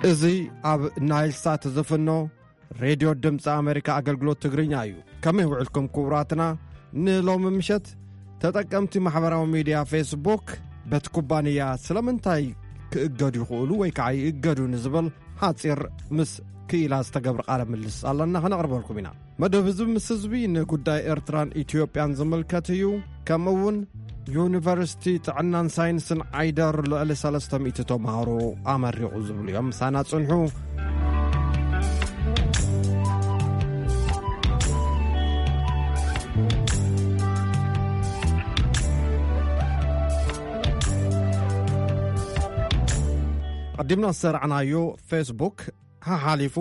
እዚ ኣብ ናይል ሳት ዝፍኖ ሬድዮ ድምፂ ኣሜሪካ ኣገልግሎት ትግርኛ እዩ። ከመይ ውዕልኩም ክቡራትና? ንሎሚ ምሸት ተጠቀምቲ ማሕበራዊ ሚድያ ፌስቡክ በቲ ኩባንያ ስለምንታይ ክእገዱ ይኽእሉ ወይ ከዓ ይእገዱ ንዝብል ሓፂር ምስ ክኢላ ዝተገብረ ቃለ ምልልስ ኣለና፣ ከነቕርበልኩም ኢና። መደብ እዚ ምስ ህዝቢ ንጉዳይ ኤርትራን ኢትዮጵያን ዝምልከት እዩ። ከምኡ እውን ዩኒቨርሲቲ ጥዕናን ሳይንስን ዓይደር ልዕሊ ሰለስተ ሚእቲ ተምሃሮ ኣመሪቑ ዝብሉ እዮም። ምሳና ጽንሑ። ቀዲምና ዝሰራዕናዮ ፌስቡክ ሓሓሊፉ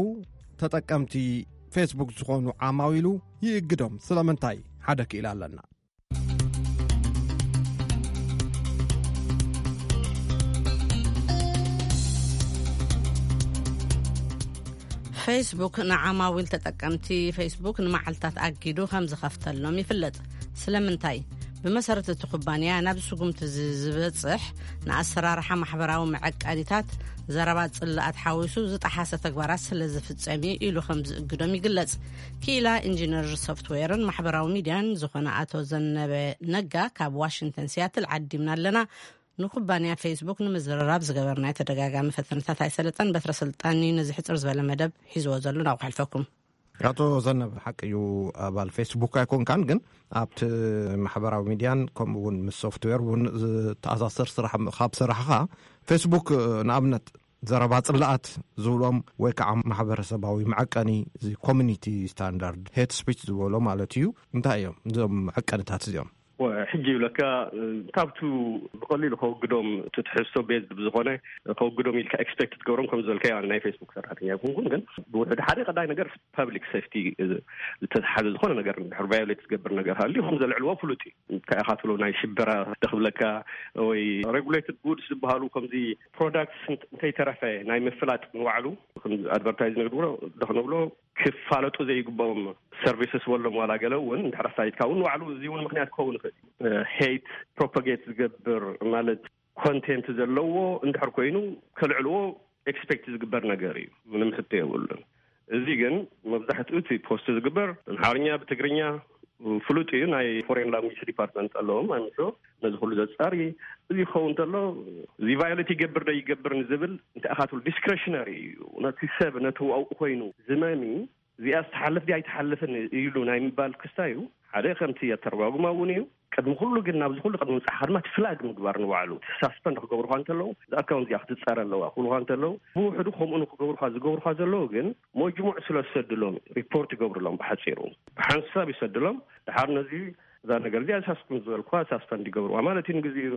ተጠቀምቲ ፌስቡክ ዝኾኑ ዓማዊሉ ይእግዶም። ስለምንታይ? ሓደ ክኢላ ኣለና። ፌስቡክ ንዓማዊል ተጠቀምቲ ፌስቡክ ንመዓልታት ኣጊዱ ከም ዝኸፍተሎም ይፍለጥ። ስለምንታይ? ብመሰረት እቲ ኩባንያ ናብ ስጉምቲ እዚ ዝበጽሕ ንኣሰራርሓ ማሕበራዊ መዐቀኒታት፣ ዘረባ ጽላኣት ሓዊሱ ዝጠሓሰ ተግባራት ስለ ዝፍጸም እዩ ኢሉ ከም ዝእግዶም ይግለጽ። ክኢላ ኢንጂነር ሶፍትዌርን ማሕበራዊ ሚድያን ዝኾነ ኣቶ ዘነበ ነጋ ካብ ዋሽንግተን ሲያትል ዓዲምና ኣለና። ንኩባንያ ፌስቡክ ንምዝርራብ ዝገበርናዮ ተደጋጋሚ ፈተነታት ኣይሰለጠን። በትረ ስልጣን እዩ ነዚ ሕፅር ዝበለ መደብ ሒዝዎ ዘሎ። ናብ ክሕልፈኩም። ኣቶ ዘነበ፣ ሓቂ እዩ፣ ኣባል ፌስቡክ ኣይኮንካን፣ ግን ኣብቲ ማሕበራዊ ሚድያን ከምኡ እውን ምስ ሶፍትዌር እውን ዝተኣሳሰር ስራሕ ካብ ሰራሕኻ፣ ፌስቡክ ንኣብነት ዘረባ ጽላኣት ዝብሎም ወይ ከዓ ማሕበረሰባዊ መዐቀኒ፣ እዚ ኮሚኒቲ ስታንዳርድ፣ ሄት ስፒች ዝበሎ ማለት እዩ። እንታይ እዮም እዞም መዐቀንታት እዚኦም? ወ-፣ ሕጂ ይብለካ፣ ካብቱ ብቐሊሉ ከወግዶም፣ እቲ ትሕዝቶ ቤዝድ ብዝኾነ ከወግዶም ኢልካ ኤክስፔክት ትገብሮም፣ ከም ዝበልካዮ፣ ኣነ ናይ ፌስቡክ ሰራሕተኛ ኣይኮንኩን፣ ግን ብውሕዱ ሓደ ቀዳይ ነገር ፐብሊክ ሴፍቲ ዝተትሓዘ ዝኾነ ነገር እንድሕር ቫዮሌት ዝገብር ነገር ሃልዩ ከም ዘልዕልዎ ፍሉጥ እዩ። እንታይ ኢኻ ትብሎ፣ ናይ ሽበራ ደኽብለካ ወይ ሬጉሌትድ ጉድስ ዝበሃሉ ከምዚ ፕሮዳክትስ እንተ-፣ እንተይተረፈ ናይ ምፍላጥ ንባዕሉ ከም ኣድቨርታይዝ ንግድብሎ፣ ደኽንብሎ ክፋለጡ ዘይግብኦም ሰርቪስስ ወሎም ዋላ ገለ እውን እንድሕር ኣፋሊጥካ እውን ንባዕሉ እዚ እውን ምኽንያት ክኸውን ይኽእል እዩ። ሄይት ፕሮፓጌት ዝገብር ማለት ኮንቴንት ዘለዎ እንድሕር ኮይኑ ከልዕልዎ ኤክስፔክት ዝግበር ነገር እዩ። ምንም ሕቶ የብሉን። እዚ ግን መብዛሕትኡ እቲ ፖስት ዝግበር ኣምሓርኛ ብትግርኛ ፍሉጥ እዩ። ናይ ፎሬን ላንጉጅ ዲፓርትመንት ኣለዎም ኣይምሾ ነዚ ኩሉ ዘጻሪ። እዚ ክኸውን እንተሎ እዚ ቫዮሌት ይገብር ዶ ይገብር ንዝብል እንታይ ኢኻ ትብሉ ዲስክሬሽነሪ እዩ። ነቲ ሰብ ነቲ ዋኡ ኮይኑ ዝመሚ እዚኣ ዝተሓልፍ ድያ ኣይተሓልፍን ኢሉ ናይ ምባል ክስታይ እዩ። ሓደ ከምቲ ኣተረጓጉማ እውን እዩ። ቅድሚ ኩሉ ግን ናብዚ ኩሉ ቅድሚ ምብጻሕካ ድማ እቲ ፍላግ ምግባር ንባዕሉ ሳስፐንድ ክገብሩኻ እንተለዉ፣ እዛ ኣካውንት እዚኣ ክትጸረ ኣለዋ ክብሉኻ እንተለዉ፣ ብውሕዱ ከምኡ ንክገብሩኻ ዝገብሩኻ ዘለዉ ግን መጅሙዕ ስለ ዝሰድሎም ሪፖርት ይገብሩሎም። ብሓጺሩ ብሓንሳብ ይሰድሎም። ድሓር ነዚ እዛ ነገር እዚኣ ሳስኩም ዝበልኩዋ ሳስፐንድ ይገብሩዋ ማለት እዩ። ንግዜኡ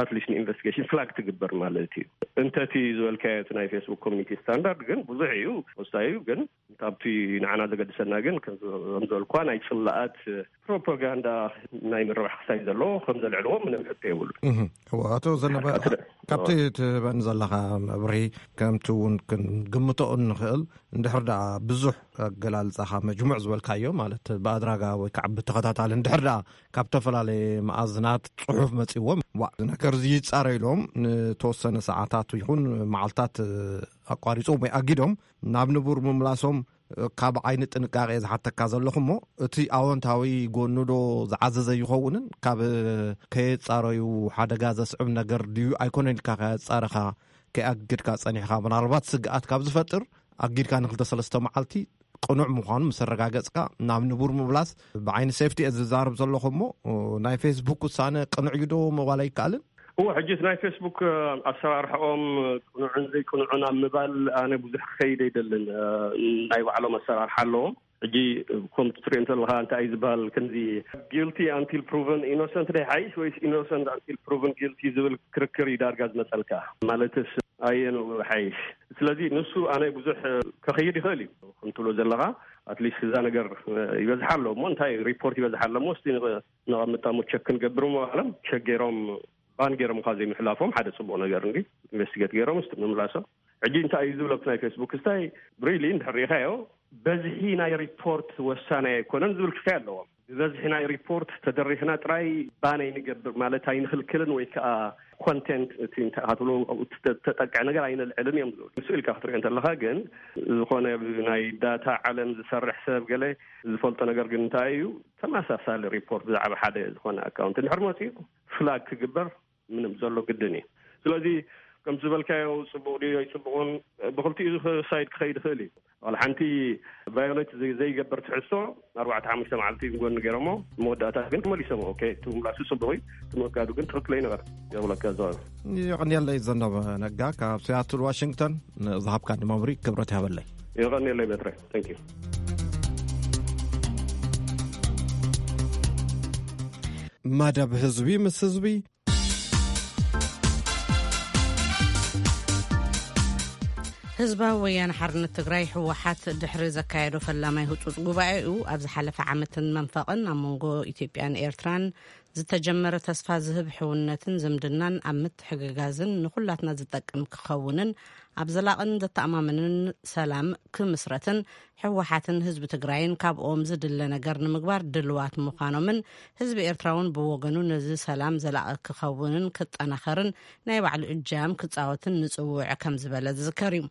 ኣትሊስት ንኢንቨስቲጌሽን ፍላግ ትግበር ማለት እዩ። እንተቲ ዝበልካዮ እቲ ናይ ፌስቡክ ኮሚኒቲ ስታንዳርድ ግን ብዙሕ እዩ፣ ወሳኝ እዩ። ግን ካብቲ ንዓና ዘገድሰና ግን ከም ዝበልኳ ናይ ጽላኣት ፕሮፓጋንዳ ናይ ምርባሕ ክሳይ ዘለዎ ከም ዘልዕልዎ ምንም ሕቶ የብሉ። እህ፣ እወ፣ ኣቶ ዘነበ፣ ካብቲ ትህበኒ ዘለኻ መብርሂ ከምቲ እውን ክንግምቶ እንኽእል፣ እንድሕር ደኣ ብዙሕ ኣገላልጻኻ መጅሙዕ ዝበልካዮ፣ ማለት ብኣድራጋ ወይ ከዓ ብተኸታታሊ እንድሕር ደኣ ካብ ዝተፈላለየ መኣዝናት ጽሑፍ መጺዎም፣ ዋ፣ እዚ ነገር እዚ ይጻረ ኢሎም ንተወሰነ ሰዓታት ይኹን መዓልታት ኣቋሪጾም ወይ ኣጊዶም ናብ ንቡር ምምላሶም ካብ ዓይኒ ጥንቃቄ ዝሓተካ ዘለኹ እሞ፣ እቲ ኣወንታዊ ጎኑ ዶ ዝዓዘዘ ይኸውንን ካብ ከየጻረዩ ሓደጋ ዘስዕብ ነገር ድዩ ኣይኮነን ኢልካ ከየጻረኻ ከየኣግድካ ጸኒሕካ፣ ምናልባት ስግኣት ካብ ዝፈጥር ኣጊድካ ንክልተ ሰለስተ መዓልቲ ቅኑዕ ምዃኑ ምስ ኣረጋገጽካ ናብ ንቡር ምምላስ ብዓይኒ ሴፍቲ እየ ዝዛረብ ዘለኹ እሞ፣ ናይ ፌስቡክ ውሳነ ቅኑዕ እዩ ዶ ምባል ኣይከኣልን? እወ፣ ሕጂ እቲ ናይ ፌስቡክ ኣሰራርሕኦም ቅኑዕን ዘይቅኑዕን ኣብ ምባል ኣነ ብዙሕ ክኸይድ ኣይደልን። ናይ ባዕሎም ኣሰራርሓ ኣለዎም። ሕጂ ከምቲ ትሪኦ እንተለኻ እንታይ እዩ ዝበሃል፣ ከምዚ ጊልቲ ኣንቲል ፕሩቨን ኢኖሰንት ዶ ይሓይሽ ወይስ ኢኖሰንት ኣንቲል ፕሩቨን ጊልቲ ዝብል ክርክር እዩ ዳርጋ ዝመጸልካ። ማለትስ ኣየኑ ይሓይሽ? ስለዚ ንሱ ኣነ ብዙሕ ከኸይድ ይኽእል እዩ። ከም ትብሎ ዘለኻ ኣትሊስት እዛ ነገር ይበዝሓ ኣሎ እሞ እንታይ ሪፖርት ይበዝሓ ኣሎ እሞ እስቲ ንቐ-፣ ነቐምጣ እሞ ቸክ ክንገብር እሞ በሃሎም ቸክ ገይሮም ባን ገይሮም እኳ ዘይምሕላፎም ሓደ ጽቡቕ ነገር እንዲ ኢንቨስቲጌት ገይሮም እስቲ ምምላሶም። ሕጂ እንታይ እዩ ዝብሎ ኣብቲ ናይ ፌስቡክ ስታይ ሪሊ እንድሕር ርኢኻዮ በዝሒ ናይ ሪፖርት ወሳናይ ኣይኮነን ዝብል ክሳይ ኣለዎም። ዝበዝሒ ናይ ሪፖርት ተደሪኽና ጥራይ ባን ኣይንገብር ማለት ኣይንኽልክልን ወይ ከዓ ኮንቴንት እቲ እንታይ ትብሎ ተጠቅዐ ነገር ኣይነልዕልን እዮም ዝብሉ። ንሱ ኢልካ ክትሪኦ እንተለኻ ግን ዝኾነ ናይ ዳታ ዓለም ዝሰርሕ ሰብ ገለ ዝፈልጦ ነገር ግን እንታይ እዩ? ተመሳሳሊ ሪፖርት ብዛዕባ ሓደ ዝኾነ ኣካውንት እንድሕር መፂኡ ፍላግ ክግበር ምንም ዘሎ ግድን እዩ። ስለዚ ከም ዝበልካዮ ፅቡቕ ድዩ ኣይፅቡቕን ብክልቲኡ ሳይድ ክኸይድ ይኽእል እዩ። ዋላ ሓንቲ ቫዮሌት ዘይገብር ትሕዝቶ ኣርባዕተ ሓሙሽተ መዓልቲ ንጎኒ ገይሮሞ መወዳእታ ግን መሊሶሞ። ኦኬ፣ እቲ ምላሱ ፅቡቕ እዩ፣ እቲ ምእጋዱ ግን ትኽክል ኣይነበረ። የብለካ ዘዋል። የቐንየለይ ዘነበ ነጋ ካብ ሲያትል ዋሽንግተን ንዝሃብካ ንመምሪ ክብረት ይሃበለይ። የቐንየለይ በትረ። Thank you። መደብ ህዝቢ ምስ ህዝቢ። ህዝባዊ ወያነ ሓርነት ትግራይ ህወሓት ድሕሪ ዘካየዶ ፈላማይ ህፁፅ ጉባኤኡ ኣብ ዝሓለፈ ዓመትን መንፈቕን ኣብ መንጎ ኢትዮጵያን ኤርትራን ዝተጀመረ ተስፋ ዝህብ ሕውነትን ዝምድናን ኣብ ምትሕግጋዝን ንኹላትና ዝጠቅም ክኸውንን ኣብ ዘላቕን ዘተኣማምንን ሰላም ክምስረትን ህወሓትን ህዝቢ ትግራይን ካብኦም ዝድለ ነገር ንምግባር ድልዋት ምዃኖምን ህዝቢ ኤርትራ እውን ብወገኑ ነዚ ሰላም ዘላቒ ክኸውንን ክጠናኸርን ናይ ባዕሉ እጃም ክፃወትን ንፅውዕ ከም ዝበለ ዝዝከር እዩ።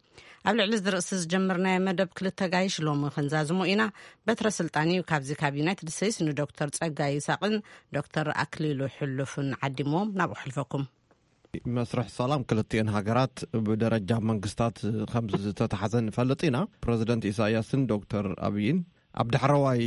ኣብ ልዕሊ እዚ ርእሲ ዝጀመርናዮ መደብ ክልተ ጋይሽ ሎሚ ክንዛዝሞ ኢና። በትረ ስልጣን እዩ ካብዚ ካብ ዩናይትድ ስቴትስ ንዶክተር ጸጋይ ይስሐቅን ዶክተር ኣክሊሉ ሕሉፍን ዓዲምዎም ናብ ኣሕልፈኩም። መስርሕ ሰላም ክልቲኤን ሃገራት ብደረጃ መንግስታት ከም ዝተተሓዘ ንፈልጥ ኢና። ፕረዚደንት ኢሳያስን ዶክተር ኣብይን ኣብ ዳሕረዋይ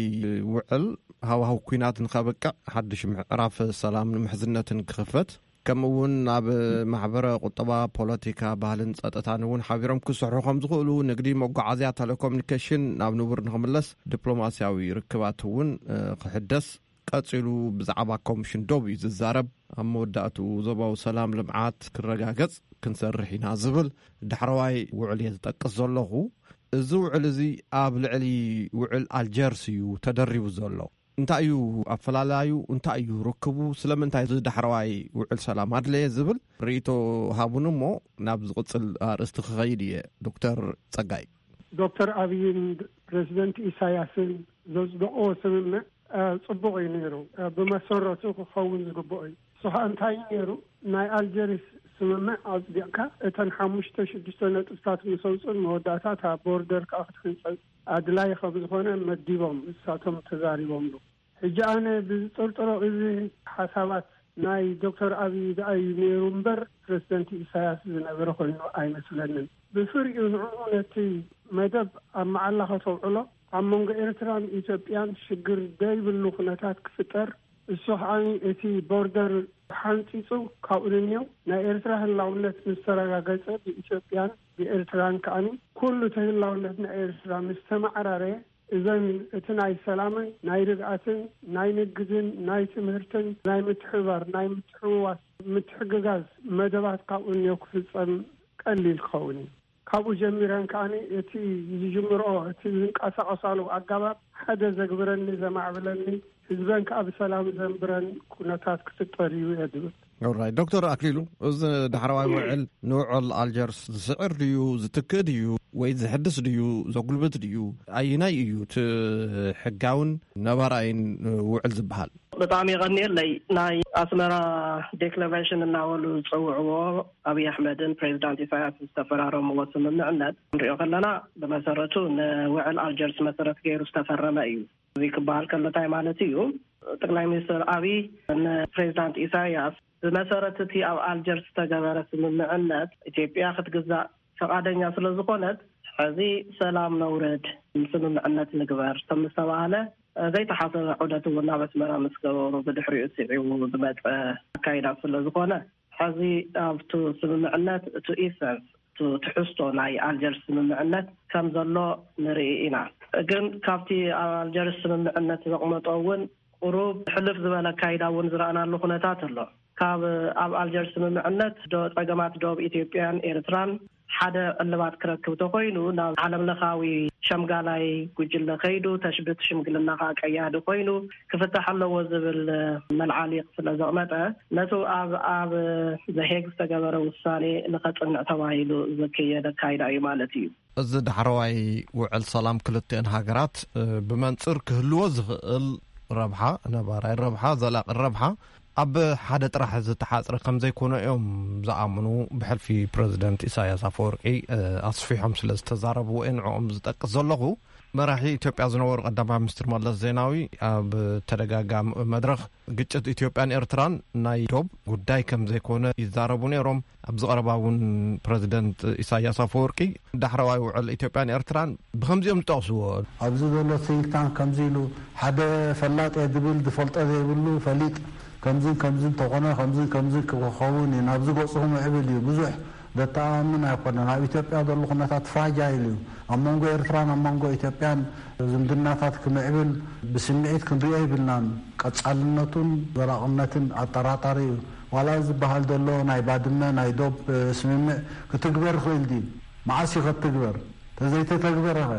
ውዕል ሃዋህው ኲናት ንኸብቅዕ ሓድሽ ምዕራፍ ሰላምን ምሕዝነትን ክኽፈት፣ ከምኡ እውን ናብ ማሕበረ ቁጠባ፣ ፖለቲካ፣ ባህልን ጸጥታን እውን ሓቢሮም ክስርሑ ከም ዝኽእሉ፣ ንግዲ፣ መጓዓዝያ፣ ቴሌኮሙኒኬሽን ናብ ንቡር ንኽምለስ፣ ዲፕሎማስያዊ ርክባት እውን ክሕደስ፣ ቀጺሉ ብዛዕባ ኮሚሽን ዶብ እዩ ዝዛረብ። ኣብ መወዳእትኡ ዞባዊ ሰላም ልምዓት ክረጋገጽ ክንሰርሕ ኢና ዝብል ዳሕረዋይ ውዕል እየ ዝጠቅስ ዘለኹ። እዚ ውዕል እዚ ኣብ ልዕሊ ውዕል ኣልጀርስ እዩ ተደሪቡ ዘሎ። እንታይ እዩ ኣፈላላዩ? እንታይ እዩ ርክቡ? ስለምንታይ እዚ ዳሕረዋይ ውዕል ሰላም ኣድለየ ዝብል ርእይቶ ሃቡን እሞ ናብ ዝቕጽል ኣርእስቲ ክኸይድ እየ። ዶክተር ጸጋይ። ዶክተር ኣብይን ፕሬዚደንት ኢሳያስን ዘጽደቕዎ ስምምዕ ጽቡቕ እዩ ነይሩ። ብመሰረቱ ክኸውን ዝግብኦ እዩ። ንሱ ከዓ እንታይ እዩ ነይሩ? ናይ ኣልጀሪስ ስምምዕ ኣጽዲቕካ እተን ሓሙሽተ ሽዱሽተ ነጥብታት ምስ ኣውፅኡን መወዳእታታ ቦርደር ከዓ ክትሕንፀፅ ኣድላይ ከም ዝኾነ መዲቦም እሳቶም ተዛሪቦምሉ። ሕጂ ኣነ ብዝጥርጥሮ እዚ ሓሳባት ናይ ዶክተር ኣብይ ደኣ እዩ ነይሩ እምበር ፕረዚደንት ኢሳያስ ዝነበረ ኮይኑ ኣይመስለንን። ብፍሪኡ ንዕኡ ነቲ መደብ ኣብ መዓላ ከተውዕሎ ኣብ መንጎ ኤርትራን ኢትዮጵያን ሽግር ደይብሉ ኩነታት ክፍጠር፣ እሱ ከዓኒ እቲ ቦርደር ሓንፂፁ ካብኡ ንንየው ናይ ኤርትራ ህላውነት ምስ ተረጋገፀ ብኢትዮጵያን ብኤርትራን ከዓኒ ኩሉ እቲ ህላውነት ናይ ኤርትራ ምስ ተማዕራረየ እዘን እቲ ናይ ሰላምን ናይ ርግኣትን ናይ ንግድን ናይ ትምህርትን ናይ ምትሕብባር ናይ ምትሕውዋስ ምትሕግጋዝ መደባት ካብኡ እንዮ ክፍፀም ቀሊል ክኸውን እዩ። ካብኡ ጀሚረን ከዓኒ እቲ ዝጅምርኦ እቲ ዝንቀሳቐሳሉ ኣጋባብ ሓደ ዘግብረኒ ዘማዕብለኒ ህዝበን ከዓ ብሰላም ዘንብረን ኩነታት ክፍጠር እዩ እየ ዝብል። ኦራይ ዶክተር ኣክሊሉ፣ እዚ ዳሕረዋይ ውዕል ንውዕል ኣልጀርስ ዝስዕር ድዩ ዝትክእ ድዩ ወይ ዝሕድስ ድዩ ዘጉልብት ድዩ? ኣይናይ እዩ እቲ ሕጋውን ነባራይን ውዕል ዝበሃል? ብጣዕሚ የቐንየለይ። ናይ ኣስመራ ዴክለሬሽን እናበሉ ዝፀውዕዎ ኣብይ ኣሕመድን ፕሬዚዳንት ኢሳያስ ዝተፈራረምዎ ስምምዕነት ንሪኦ ከለና ብመሰረቱ ንውዕል ኣልጀርስ መሰረት ገይሩ ዝተፈረመ እዩ። እዚ ክበሃል ከሎ እንታይ ማለት እዩ? ጠቅላይ ሚኒስትር ኣብይ ንፕሬዚዳንት ኢሳያስ ብመሰረት እቲ ኣብ ኣልጀርስ ዝተገበረ ስምምዕነት ኢትዮጵያ ክትግዛእ ፈቓደኛ ስለ ዝኾነት ሕዚ ሰላም ነውርድ፣ ስምምዕነት ንግበር ከም ዝተባህለ ዘይተሓሰበ ዑደት እውን ናብ ኣስመራ ምስ ገበሩ ብድሕሪኡ ስዒቡ ዝመፀ ኣካይዳ ስለ ዝኾነ ሕዚ ኣብቱ ስምምዕነት እቱ ኢሰንስ እቱ ትሕዝቶ ናይ ኣልጀርስ ስምምዕነት ከም ዘሎ ንርኢ ኢና። ግን ካብቲ ኣብ ኣልጀርስ ስምምዕነት ዘቕመጦ እውን ቁሩብ ሕልፍ ዝበለ ኣካይዳ እውን ዝረኣናሉ ኩነታት ኣሎ። ካብ ኣብ ኣልጀርስ ስምምዕነት ዶ ጸገማት ዶብ ኢትዮጵያን ኤርትራን ሓደ ዕልባት ክረክብ ተኮይኑ ናብ ዓለም ለኻዊ ሸምጋላይ ጉጅለ ከይዱ ተሽብት ሽምግልና ከዓ ቀያዲ ኮይኑ ክፍታሕ ኣለዎ ዝብል መልዓሊቕ ስለ ዘቕመጠ ነቱ ኣብ ኣብ ዘሄግ ዝተገበረ ውሳኔ ንኸጽንዕ ተባሂሉ ዝከየደ ኣካይዳ እዩ ማለት እዩ። እዚ ዳሕረዋይ ውዕል ሰላም ክልቲኤን ሃገራት ብመንጽር ክህልዎ ዝኽእል ረብሓ፣ ነባራይ ረብሓ፣ ዘላቂ ረብሓ ኣብ ሓደ ጥራሕ ዝተሓጽረ ከም ዘይኮነ እዮም ዝኣምኑ። ብሕልፊ ፕረዚደንት ኢሳያስ ኣፈወርቂ፣ እ፣ ኣስፊሖም ስለ ዝተዛረብዎ እየ ንዕኦም ዝጠቅስ ዘለኹ። መራሒ ኢትዮጵያ ዝነበሩ ቀዳማይ ሚኒስትር መለስ ዜናዊ ኣብ ተደጋጋሚ መድረኽ ግጭት ኢትዮጵያን ኤርትራን ናይ ዶብ ጉዳይ ከም ዘይኮነ ይዛረቡ ነይሮም። ኣብዚ ቀረባ እውን ፕረዚደንት ኢሳያስ ኣፈወርቂ ዳሕረዋይ ውዕል ኢትዮጵያን ኤርትራን ብኸምዚኦም ዝጠቕስዎ። ኣብዚ ዘሎ ቲንክ ታንክ ከምዚ ኢሉ፣ ሓደ ፈላጥ እየ ዝብል ዝፈልጦ ዘይብሉ ፈሊጥ፣ ከምዝን ከምዝን እንተኾነ ከምዝን ከምዝን ክኸውን እዩ፣ ናብዚ ገፁ ክምዕብል እዩ። ብዙሕ ዘተኣማምን ኣይኮነን። ኣብ ኢትዮጵያ ዘሎ ኩነታት ፍራጃይል እዩ። ኣብ መንጎ ኤርትራን ኣብ መንጎ ኢትዮጵያን ዝምድናታት ክምዕብል ብስምዒት ክንሪኦ ይብልናን። ቀጻልነቱን ዘላቕነትን ኣጠራጣሪ እዩ። ዋላ ዝበሃል ዘሎ ናይ ባድመ ናይ ዶብ፣ እ፣ ስምምዕ ክትግበር ይኽእል ድዩ? መዓስ እዩ ክትግበር? ተዘይተተግበረኸ?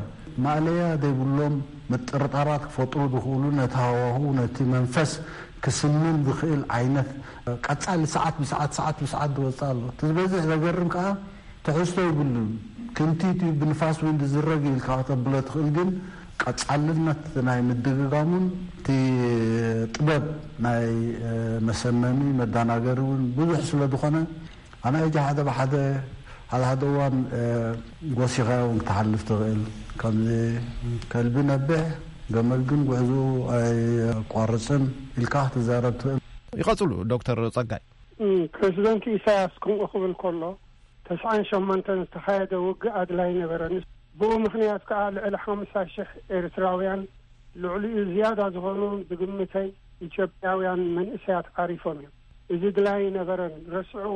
ማእለያ ዘይብሎም ምጥርጣራት ክፈጥሩ ዝኽእሉ፣ ነቲ ሃዋህው፣ ነቲ መንፈስ ክስምን ዝኽእል ዓይነት ቀጻሊ ሰዓት ብሰዓት፣ ሰዓት ብሰዓት ዝወጽእ ኣሎ። እቲ ዝበዝሕ ዘገርም ከኣ ትሕዝቶ ይብሉን። ክንቲት እዩ፣ ብንፋስ እውን ዝዝረግ ኢልካ ከተብሎ ትኽእል፣ ግን ቀጻልነት ናይ ምድግጋሙን እቲ ጥበብ ናይ፣ እ፣ መሰመሚ መዳናገሪ እውን ብዙሕ ስለ ዝኾነ፣ ኣነ ሕጂ ሓደ ብሓደ፣ ሓደ ሓደ እዋን፣ እ፣ ጎሲኻዮ እውን ክትሓልፍ ትኽእል። ከምዚ ከልቢ ነብሕ፣ ገመል ግን ጉዕዞ ኣይቋርጽን ኢልካ ክትዛረብ ትኽእል። ይቐጽሉ ዶክተር ጸጋይ። እም፣ ፕረዚደንት ኢሳያስ ከምኡ ክብል ከሎ፣ ተስዓን ሸሞንተን ዝተኻየደ ውግእ ኣድላይ ነበረን። ብኡ ምኽንያት ከኣ ልዕሊ ሓምሳ ሽሕ ኤርትራውያን፣ ልዕሊኡ ዝያዳ ዝኾኑ ብግምተይ ኢትዮጵያውያን መንእሰያት ዓሪፎም እዮም። እዚ ድላይ ነበረን፣ ረስዕዎ፣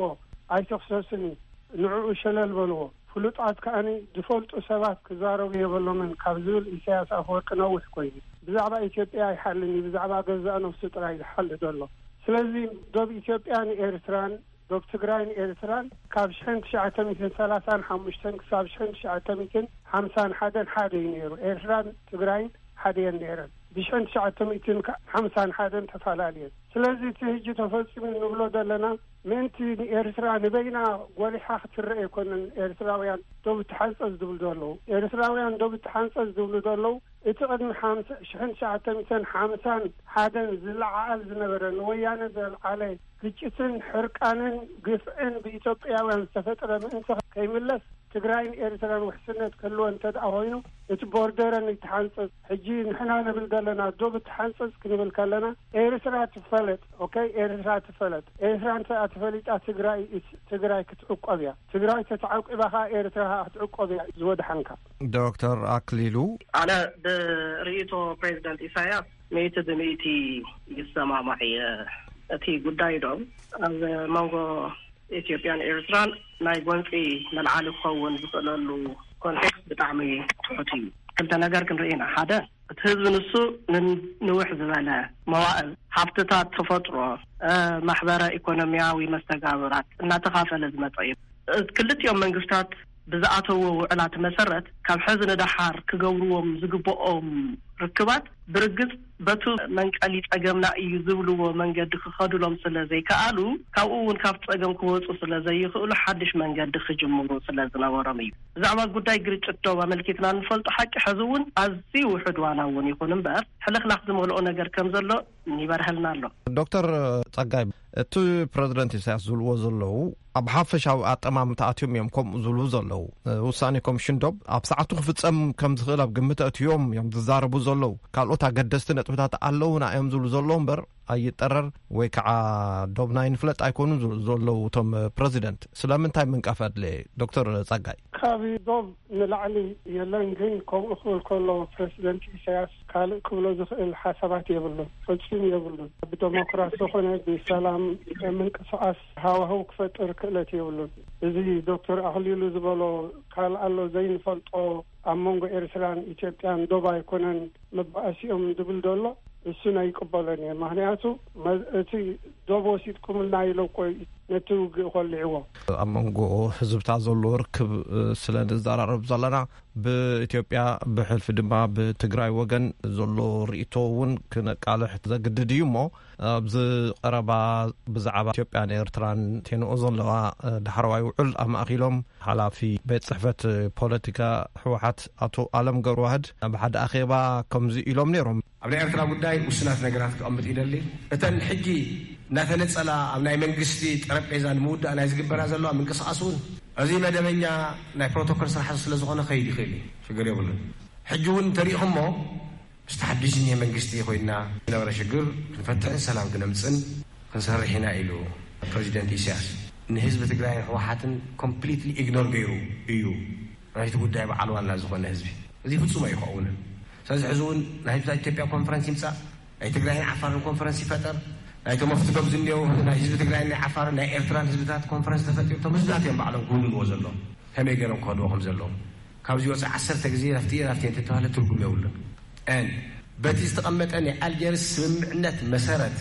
ኣይተኽሰስን እዩ፣ ንዕኡ ሸለል በልዎ፣ ፍሉጣት ከኣኒ ዝፈልጡ ሰባት ክዛረቡ የበሎምን ካብ ዝብል ኢሳያስ ኣፈወርቂ ነዊሕ ኮይኑ። ብዛዕባ ኢትዮጵያ ኣይሓልን እዩ፣ ብዛዕባ ገዛእ ነፍሱ ጥራይ ዝሓሊ ዘሎ። ስለዚ ዶብ ኢትዮጵያን ኤርትራን ዶብ ትግራይን ኤርትራን ካብ ሽሕን ትሽዓተ ሚእትን ሰላሳን ሓሙሽተን ክሳብ ሽሕን ትሽዓተ ሚእትን ሓምሳን ሓደን ሓደ እዩ ነይሩ። ኤርትራን ትግራይን ሓደ እየን ነይረን። ብሽሕን ትሽዓተ ሚእትን ሓምሳን ሓደን ተፈላለየን። ስለዚ እቲ ሕጂ ተፈጺሙ ንብሎ ዘለና ምእንቲ ንኤርትራ ንበይና ጎሊሓ ክትረአ ኣይኮነን። ኤርትራውያን ዶብ ትሓንጸጽ ዝብሉ ዘለዉ፣ ኤርትራውያን ዶብ ትሓንጸጽ ዝብሉ ዘለዉ፣ እቲ ቅድሚ ሓምሳ፣ ሽሕን ትሽዓተ ሚእትን ሓምሳን ሓደን ዝለዓዓል ዝነበረ፣ ንወያነ ዘልዓለ ግጭትን ሕርቃንን ግፍዕን ብኢትዮጵያውያን ዝተፈጥረ ምእንቲ ከይምለስ፣ ትግራይን ኤርትራን ውሕስነት ክህልወ እንተ ደኣ ኮይኑ፣ እቲ ቦርደረን ይተሓንጸጽ። ሕጂ ንሕና ንብል ዘለና ዶብ ትሓንጸጽ ክንብል ከለና፣ ኤርትራ ትፈለጥ። ኦኬ፣ ኤርትራ ትፈለጥ። ኤርትራ እንተ ተፈሊጣ፣ ትግራይ፣ ትግራይ ክትዕቆብ እያ። ትግራይ ተተዓቂባ ኸኣ፣ ኤርትራ ኸኣ ክትዕቆብ እያ። ዝወድሓንካ። ዶክተር ኣክሊሉ። ኣነ ብርእይቶ ፕሬዚደንት ኢሳያስ ሚእቲ ብሚእቲ ይሰማማዕ እየ። እቲ ጉዳይ ዶ ኣብ መንጎ ኢትዮጵያን ኤርትራን ናይ ጎንፂ መልዓሊ ክኸውን ዝኽእለሉ ኮንቴክስት ብጣዕሚ ትሑት እዩ። ክልተ ነገር ክንርኢ ኢና። ሓደ፣ እቲ ህዝቢ ንሱ ንን-፣ ንውሕ ዝበለ መዋእል ሃብትታት ተፈጥሮ፣ እ፣ ማሕበረ ኢኮኖሚያዊ መስተጋብራት እናተኻፈለ ዝመፀ እዩ። እ፣ ክልቲኦም መንግስታት ብዝኣተዎ ውዕላት መሰረት ካብ ሕዚ ንደሓር ክገብርዎም ዝግብኦም ርክባት ብርግጽ በቱ መንቀሊ ጸገምና እዩ ዝብልዎ መንገዲ ክኸዱሎም ስለ ዘይከኣሉ፣ ካብኡ እውን ካብ ጸገም ክወጹ ስለ ዘይኽእሉ ሓድሽ መንገዲ ክጅምሩ ስለ ዝነበሮም እዩ። ብዛዕባ ጉዳይ ግርጭት ዶብ ኣመልኪትና እንፈልጦ ሓቂ ሕዚ እውን ኣዝዩ ውሑድ ዋላ እውን ይኹን እምበር ሕልኽላኽ ዝመልኦ ነገር ከም ዘሎ ይበርሀልና ኣሎ። ዶክተር ጸጋይ፣ እቲ ፕረዚደንት ኢሳያስ ዝብልዎ ዘለዉ ኣብ ሓፈሻዊ ኣጠማምታ ኣትዮም እዮም ከምኡ ዝብሉ ዘለዉ። ውሳኔ ኮሚሽን ዶብ ኣብ ሰዓቱ ክፍጸም ከም ዝኽእል ኣብ ግምት ኣእትዮም እዮም ዝዛረቡ ዘለዉ። ካልኦት ኣገደስቲ ነጥብታት ኣለዉና እዮም ዝብሉ ዘለዉ እምበር ኣይጠረር ወይ ከዓ ዶብና ይንፍለጥ ኣይኮኑን ዝብሉ ዘለዉ እቶም ፕረዚደንት። ስለምንታይ ምንቃፍ ኣድለየ? ዶክተር ጸጋይ። ካብ ዶብ ንላዕሊ የለን፣ ግን ከምኡ ክብል ከሎ ፕረዚደንት ኢሳያስ ካልእ ክብሎ ዝኽእል ሓሳባት የብሉን፣ ፈጺሙ የብሉን። ብደሞክራሲ ኾነ ብሰላም ምንቅስቓስ ሃዋህው ክፈጥር ክእለት የብሉን። እዚ ዶክተር ኣኽሊሉ ዝበሎ ካልእ ኣሎ ዘይንፈልጦ ኣብ መንጎ ኤርትራን ኢትዮጵያን ዶብ ኣይኮነን መባኣሲኦም ዝብል ዘሎ፣ እሱን ኣይቅበሎን እየ። ምኽንያቱ መ-፣ እቲ ዶብ ወሲድኩምልና ኢሎ እኮ ነቲ ውግእ ኮሊዕዎ። ኣብ መንጎ ህዝብታት ዘሎ ርክብ ስለ ንዘራረብ ዘለና፣ ብኢትዮጵያ ብሕልፊ ድማ ብትግራይ ወገን ዘሎ ርእይቶ እውን ክነቃልሕ ዘግድድ እዩ እሞ፣ ኣብዚ ቀረባ ብዛዕባ ኢትዮጵያን ኤርትራን ቴንኦ ዘለዋ ዳሕረዋይ ውዕል ኣማእኪሎም ሓላፊ ቤት ጽሕፈት ፖለቲካ ህወሓት ኣቶ ኣለም ገብረዋህድ ኣብ ሓደ ኣኼባ ከምዚ ኢሎም ነይሮም። ኣብ ናይ ኤርትራ ጉዳይ ውስናት ነገራት ክቐምጥ ይደሊ። እተን ሕጂ እናተነጸላ ኣብ ናይ መንግስቲ ጠረጴዛ ንምውዳእ ናይ ዝግበራ ዘለዋ ምንቅስቓስ እውን እዚ መደበኛ ናይ ፕሮቶኮል ስራሕ ስለ ዝኾነ ከይድ ይኽእል እዩ፣ ሽግር የብሉን። ሕጂ እውን እንተሪእኹሞ ምስቲ ሓድሽ ዝኒሀ መንግስቲ ኮይና ዝነበረ ሽግር ክንፈትሕን ሰላም ክነምፅን ክንሰርሕ ኢና ኢሉ ፕሬዚደንት ኢሳያስ። ንህዝቢ ትግራይን ህወሓትን ኮምፕሊትሊ ኢግኖር ገይሩ እዩ ናይቲ ጉዳይ በዓል ዋና ዝኾነ ህዝቢ። እዚ ፍጹም ኣይከውንን። ስለዚ ሕዚ እውን ናይ ህዝብታት ኢትዮጵያ ኮንፈረንስ ይምጻእ፣ ናይ ትግራይን ዓፋርን ኮንፈረንስ ይፈጠር፣ ናይቶም ኣብቲ ዶብ ዝኒአው ናይ ህዝቢ ትግራይን ናይ ዓፋርን ናይ ኤርትራን ህዝብታት ኮንፈረንስ ተፈጢሩ፣ እቶም ህዝብታት እዮም ባዕሎም ክውንንዎ ዘለዎም ከመይ ገይሮም ክኸድዎ ከም ዘለዎም። ካብዚ ወፃኢ ዓሰርተ ግዜ ናፍቲ ናፍቲ እንተተባህለ ትርጉም የብሉን። And በቲ ዝተቐመጠ ናይ ኣልጀርስ ስምምዕነት መሰረት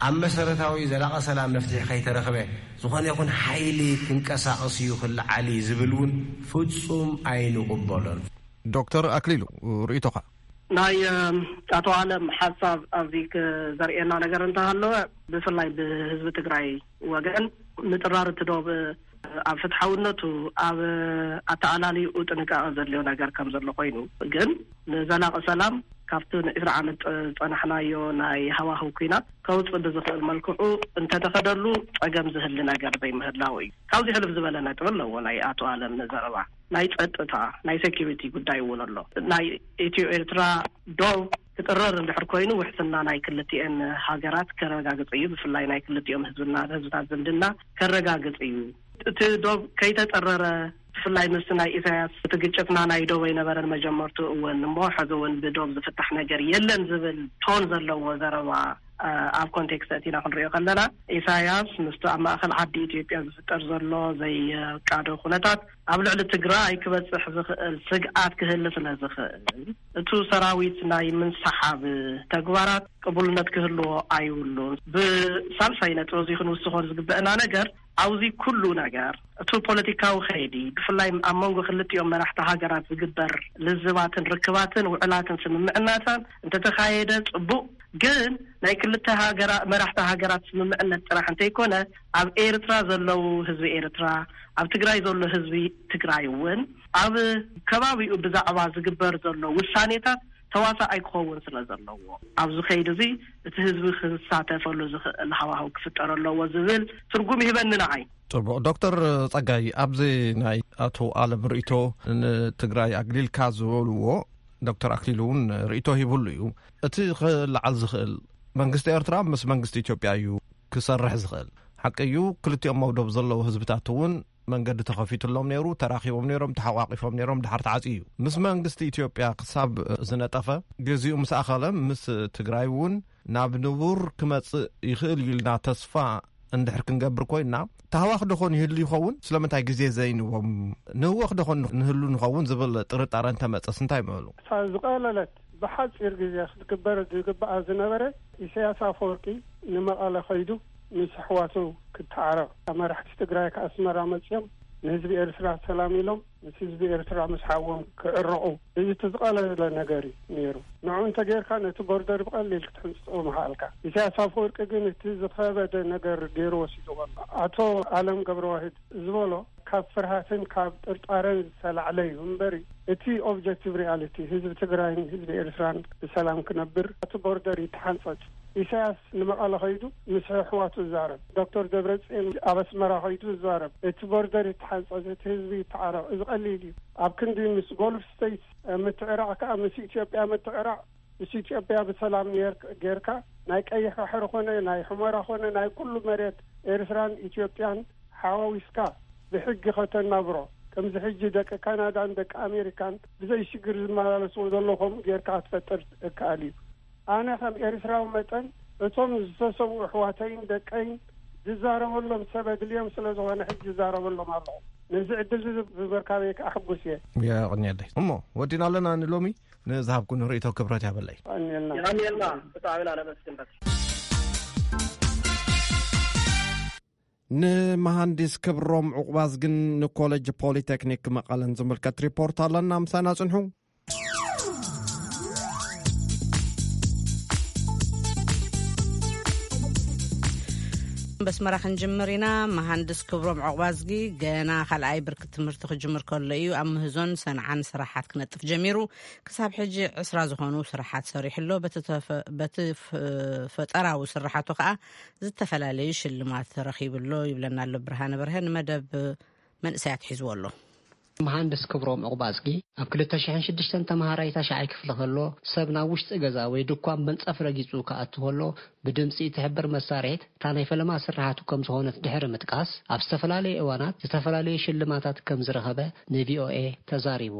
ኣብ መሰረታዊ ዘላቒ ሰላም መፍትሒ ከይተረኽበ ዝኾነ ይኹን ሓይሊ ክንቀሳቐስ እዩ ክለዓል እዩ ዝብል እውን ፍጹም ኣይንቕበሎን። ዶክተር ኣክሊሉ፣ ርእይቶኻ? ናይ ኣቶ ኣለም ሓሳብ ኣብዚ ዘርእየና ነገር እንተሃለወ፣ ብፍላይ ብህዝቢ ትግራይ ወገን ምጥራር እቲ ዶብ ኣብ ፍትሓውነቱ፣ ኣብ ኣተኣላልይኡ ጥንቃቐ ዘድልዮ ነገር ከም ዘሎ ኮይኑ፣ ግን ንዘላቒ ሰላም ካብቲ ንዒስራ ዓመት ዝጸናሕናዮ ናይ ሃዋህው ኲናት ከውጽእ ብዝኽእል መልክዑ እንተተኸደሉ ጸገም ዝህሊ ነገር ዘይምህላው እዩ። ካብዚ ሕልፍ ዝበለ ነጥቢ ኣለዎ ናይ ኣቶ ኣለም ዘረባ። ናይ ጸጥታ፣ ናይ ሴኪሪቲ ጉዳይ እውን ኣሎ። ናይ ኢትዮ ኤርትራ ዶብ ክጥረር እንድሕር ኮይኑ ውሕስና ናይ ክልቲኤን ሃገራት ከረጋግጽ እዩ። ብፍላይ ናይ ክልቲኦም ህዝብና፣ ህዝብታት ዝምድና ከረጋግጽ እዩ። እቲ ዶብ ከይተጠረረ፣ ብፍላይ ምስ ናይ ኢሳያስ እቲ ግጭትና ናይ ዶብ ኣይነበረን መጀመርቱ እውን እሞ ሕዚ እውን ብዶብ ዝፍታሕ ነገር የለን ዝብል ቶን ዘለዎ ዘረባ ኣብ ኮንቴክስት ኣእቲና ክንሪኦ ከለና፣ ኢሳያስ ምስቲ ኣብ ማእከል ዓዲ ኢትዮጵያ ዝፍጠር ዘሎ ዘይቃዶ ኩነታት ኣብ ልዕሊ ትግራይ ክበጽሕ ዝኽእል ስግኣት ክህሊ ስለ ዝኽእል፣ እቱ ሰራዊት ናይ ምንስሓብ ተግባራት ቅቡልነት ክህልዎ ኣይብሉን። ብሳልሳይ ነጥቢ እዚ ክንውስኾ ዝግበአና ነገር፣ ኣብዚ ኩሉ ነገር፣ እቱ ፖለቲካዊ ከይዲ፣ ብፍላይ ኣብ መንጎ ክልቲኦም መራሕቲ ሃገራት ዝግበር ልዝባትን ርክባትን ውዕላትን ስምምዕናታን እንተተኻየደ ጽቡቕ፣ ግን ናይ ክልተ ሃገራ-፣ መራሕቲ ሃገራት ስምምዕነት ጥራሕ እንተይኮነ፣ ኣብ ኤርትራ ዘለዉ ህዝቢ ኤርትራ፣ ኣብ ትግራይ ዘሎ ህዝቢ ትግራይ እውን፣ ኣብ ከባቢኡ ብዛዕባ ዝግበር ዘሎ ውሳኔታት ተዋሳኣይ ክኸውን ስለ ዘለዎ፣ ኣብዚ ከይዲ እዚ እቲ ህዝቢ ክሳተፈሉ ዝኽእል ሃዋህው ክፍጠር ኣለዎ ዝብል ትርጉም ይህበኒ ንዓይ። ጽቡቕ። ዶክተር ጸጋይ፣ ኣብዚ ናይ ኣቶ ኣለም ርእይቶ ንትግራይ ኣግሊልካ ዝበልዎ፣ ዶክተር ኣክሊሉ እውን ርእይቶ ሂብሉ እዩ። እቲ ክለዓል ዝኽእል፣ መንግስቲ ኤርትራ ምስ መንግስቲ ኢትዮጵያ እዩ ክሰርሕ ዝኽእል። ሓቂ እዩ፣ ክልቲኦም ኣብ ዶብ ዘለዉ ህዝብታት እውን መንገዲ ተኸፊቱሎም ነይሩ፣ ተራኺቦም ነይሮም፣ ተሓቋቒፎም ነይሮም፣ ድሓር ተዓጽዩ እዩ። ምስ መንግስቲ ኢትዮጵያ ክሳብ ዝነጠፈ፣ ግዜኡ ምስ ኣኸለ፣ ምስ ትግራይ እውን ናብ ንቡር ክመጽእ ይኽእል እዩ ኢልና ተስፋ እንድሕር ክንገብር ኮይና፣ ታህዋኽ ዶ ኾን ይህሉ ይኸውን? ስለምንታይ ግዜ ዘይንቦም ንህወኽ ዶ ኾን ንህሉ ንኸውን ዝብል ጥርጣረ እንተመጸስ እንታይ ምበሉ? እታ ዝቐለለት ብሓጺር ግዜ ክትግበር ዝግብኣ ዝነበረ፣ ኢሳያስ ኣፈወርቂ ንመቐለ ከይዱ ምስ ኣሕዋቱ ክተዓረቕ፣ መራሕቲ ትግራይ ከኣስመራ መጺኦም ንህዝቢ ኤርትራ ሰላም ኢሎም ምስ ህዝቢ ኤርትራ ምስ ሓዎም ክዕረቑ፣ እዚ እቲ ዝቐለለ ነገር እዩ ነይሩ። ንዑ እንተ ጌርካ ነቲ ቦርደር ብቐሊል ክትሕንጽጾ ምኽኣልካ። ኢሳያስ ኣፈወርቂ ግን እቲ ዝኸበደ ነገር ገይሩ ወሲድዎ ኣሎ። ኣቶ ኣለም ገብረዋህድ ዝበሎ ካብ ፍርሃትን ካብ ጥርጣረን ዝተላዕለ እዩ እምበሪ፣ እቲ ኦብጀክቲቭ ሪያሊቲ ህዝቢ ትግራይን ህዝቢ ኤርትራን ብሰላም ክነብር እቲ ቦርደር ይተሓንጸጽ። ኢሳያስ ንመቐለ ከይዱ ምስ ኣሕዋቱ ይዛረብ። ዶክተር ደብረጽዮን ኣብ ኣስመራ ከይዱ ይዛረብ። እቲ ቦርደር ይተሓንጸጽ፣ እቲ ህዝቢ ይተዓረቕ። እዚ ቀሊል እዩ። ኣብ ክንዲ ምስ ጎልፍ ስቴትስ ምትዕራቕ ከኣ ምስ ኢትዮጵያ ምትዕራቕ፣ ምስ ኢትዮጵያ ብሰላም ኔር-፣ ጌርካ ናይ ቀይሕ ባሕሪ ኮነ ናይ ሑመራ ኮነ ናይ ኩሉ መሬት ኤርትራን ኢትዮጵያን ሓዋዊስካ ብሕጊ ከተናብሮ፣ ከምዚ ሕጂ ደቂ ካናዳን ደቂ ኣሜሪካን ብዘይ ሽግር ዝመላለስዎ ዘሎ ከምኡ ጌርካ ክትፈጥር እከኣል እዩ። ኣነ ከም ኤርትራዊ መጠን እቶም ዝተሰውኡ ኣሕዋተይን ደቀይን ዝዛረበሎም ሰብ ኣድልዮም ስለ ዝኾነ ሕጂ ይዛረበሎም ኣለኹ። ነዚ ዕድል እዚ ብምርካበይ ከኣ ሕጉስ እየ። የቐንየለይ። እሞ ወዲና ኣለና ንሎሚ። ንዝሃብኩን ርእይቶ ክብረት ያበለይ። የቐንየልና። የቐንየልና። ብጣዕሚ ኢና ነመስግን። በቃ። ንመሃንዲስ ክብሮም ዕቑባዝግን ንኮሌጅ ፖሊቴክኒክ መቐለን ዝምልከት ሪፖርት ኣለና። ምሳና ጽንሑ። በስመራ ክንጅምር ኢና። መሃንድስ ክብሮም ዕቑባዝጊ ገና ካልኣይ ብርኪ ትምህርቲ ክጅምር ከሎ እዩ ኣብ ምህዞን ሰንዓን ስራሓት ክነጥፍ ጀሚሩ። ክሳብ ሕጂ ዕስራ ዝኾኑ ስራሓት ሰሪሑ ኣሎ። በቲ ተፈ-፣ በቲ ፍ-፣ ፈጠራዊ ስራሓቱ ከኣ ዝተፈላለዩ ሽልማት ረኺቡ ኣሎ ይብለና ኣሎ ብርሃነ በርሀ። ንመደብ መንእሰያት ሒዝዎ ኣሎ። መሃንድስ ክብሮም ዕቑባዝጊ ኣብ ክልተ ሽሕን ሽዱሽተን ተመሃራይ ታሽዓይ ክፍሊ ከሎ፣ ሰብ ናብ ውሽጢ ገዛ ወይ ድኳን መንጸፍ ረጊጹ ክኣቱ ከሎ፣ ብድምጺ እትሕብር መሳርሒት እታ ናይ ፈለማ ስርሓቱ ከም ዝኾነት ድሕሪ ምጥቃስ፣ ኣብ ዝተፈላለዩ እዋናት ዝተፈላለዩ ሽልማታት ከም ዝረኸበ ንቪኦኤ ተዛሪቡ።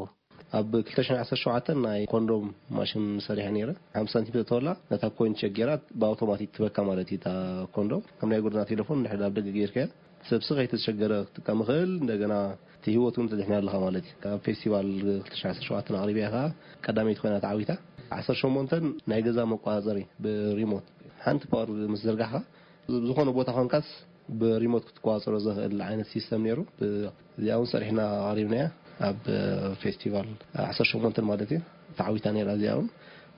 ኣብ ክልተ ሽሕን ዓሰርተ ሸውዓተን ናይ ኮንዶም ማሽን ሰሪሐ ነይረ። ሓምሳ ሳንቲም ተተወላ ነታ ኮይን ሸጊራ ብኣውቶማቲክ ትበካ ማለት እዩ። እታ ኮንዶም ከም ናይ ጎደና ቴሌፎን እንድሕር ኣብ ደገ ጌርካያ ሰብ ስቕ ከይተሸገረ ክትጥቀም ይኽእል። እንደገና እቲ ህይወት እውን ተድሕን ኣለኻ ማለት እዩ። ኣብ ፌስቲቫል ክልተ ሽሕን ዓሰርተ ሸውዓተን ኣቕሪበያ ከዓ ቀዳመይቲ ኮይና ተዓዊታ። ዓሰርተ ሸሞንተን ናይ ገዛ መቆጻጸሪ ብሪሞት ሓንቲ ፓወር ምስ ዘርጋሕካ ዝኾነ ቦታ ኮንካስ ብሪሞት ክትቆጻጸሮ ዘኽእል ዓይነት ሲስተም ነይሩ። ብ-፣ እዚኣ እውን ሰሪሕና ኣቕሪብናያ ኣብ ፌስቲቫል ዓሰርተ ሸሞንተን ማለት እዩ። ተዓዊታ ነይራ እዚኣ እውን።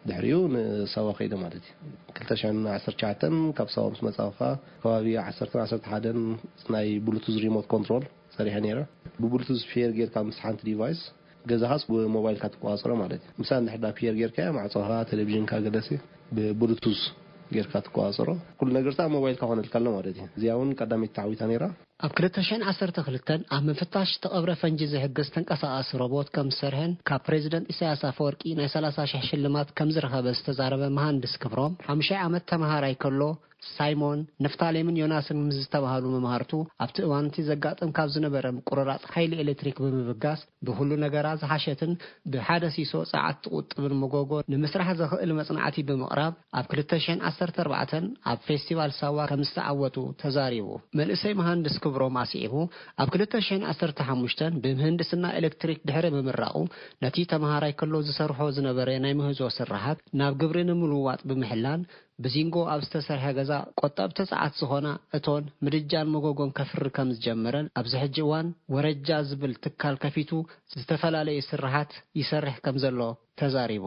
ድሕሪኡ ንሳዋ ከይደ ማለት እዩ። ክልተ ሽሕን ዓሰርተ ትሽዓተን ካብ ሳዋ ምስ መጻእኻ ከባቢ ዓሰርተን ዓሰርተ ሓደን ናይ ብሉቱዝ ሪሞት ኮንትሮል ሰሪሐ ነይረ። ብብሉቱዝ ፔር ጌርካ ምስ ሓንቲ ዲቫይስ ገዛኻስ ብሞባይልካ ትቆጻጸሮ ማለት እዩ። ምሳሌ እንድሕር ዳ ፒየር ጌርካዮ ማዕጾኻ፣ ቴሌቪዥንካ ገለሲ ብብሉቱዝ ጌርካ ትቆጻጸሮ። ኩሉ ነገርታ ኣብ ሞባይልካ ኮነልካ ኣሎ ማለት እዩ። እዚኣ እውን ቀዳመይቲ ተዓዊታ ነይራ። ኣብ ክልተ ሽሕን ዓሰርተ ክልተን ኣብ ምፍታሽ ዝተቐብረ ፈንጂ ዝሕግዝ ተንቀሳቓሲ ሮቦት ከም ዝሰርሐን ካብ ፕሬዚደንት ኢሳያስ ኣፈወርቂ ናይ ሰላሳ ሽሕ ሽልማት ከም ዝረኸበ ዝተዛረበ መሃንድስ ክብሮም፣ ሓሙሻይ ዓመት ተመሃራይ ከሎ ሳይሞን፣ ንፍታሌምን ዮናስን ምስ ዝተባህሉ መምሃርቱ፣ ኣብቲ እዋን እቲ ዘጋጥም ካብ ዝነበረ ምቁርራጽ ሓይሊ ኤሌክትሪክ ብምብጋስ፣ ብኹሉ ነገራ ዝሓሸትን ብሓደ ሲሶ ጸዓት ትቑጥብን መጎጎ ንምስራሕ ዘኽእል መጽናዕቲ ብምቕራብ፣ ኣብ ክልተ ሽሕን ዓሰርተ ኣርባዕተን ኣብ ፌስቲቫል ሳዋ ከም ዝተዓወቱ ተዛሪቡ። መንእሰይ መሃንድስ ክብሮም ኣስዒቡ፣ ኣብ ክልተ ሽሕን ዓሰርተ ሓሙሽተን ብምህንድስና ኤሌክትሪክ ድሕሪ ምምራቑ፣ ነቲ ተመሃራይ ከሎ ዝሰርሖ ዝነበረ ናይ ምህዞ ስራሓት ናብ ግብሪ ንምልዋጥ ብምሕላን፣ ብዚንጎ ኣብ ዝተሰርሐ ገዛ ቆጠብቲ ጸዓት ዝኾና እቶን፣ ምድጃን መጎጎን ከፍሪ ከም ዝጀመረን ኣብዚ ሕጂ እዋን ወረጃ ዝብል ትካል ከፊቱ ዝተፈላለዩ ስራሓት ይሰርሕ ከም ዘሎ ተዛሪቡ።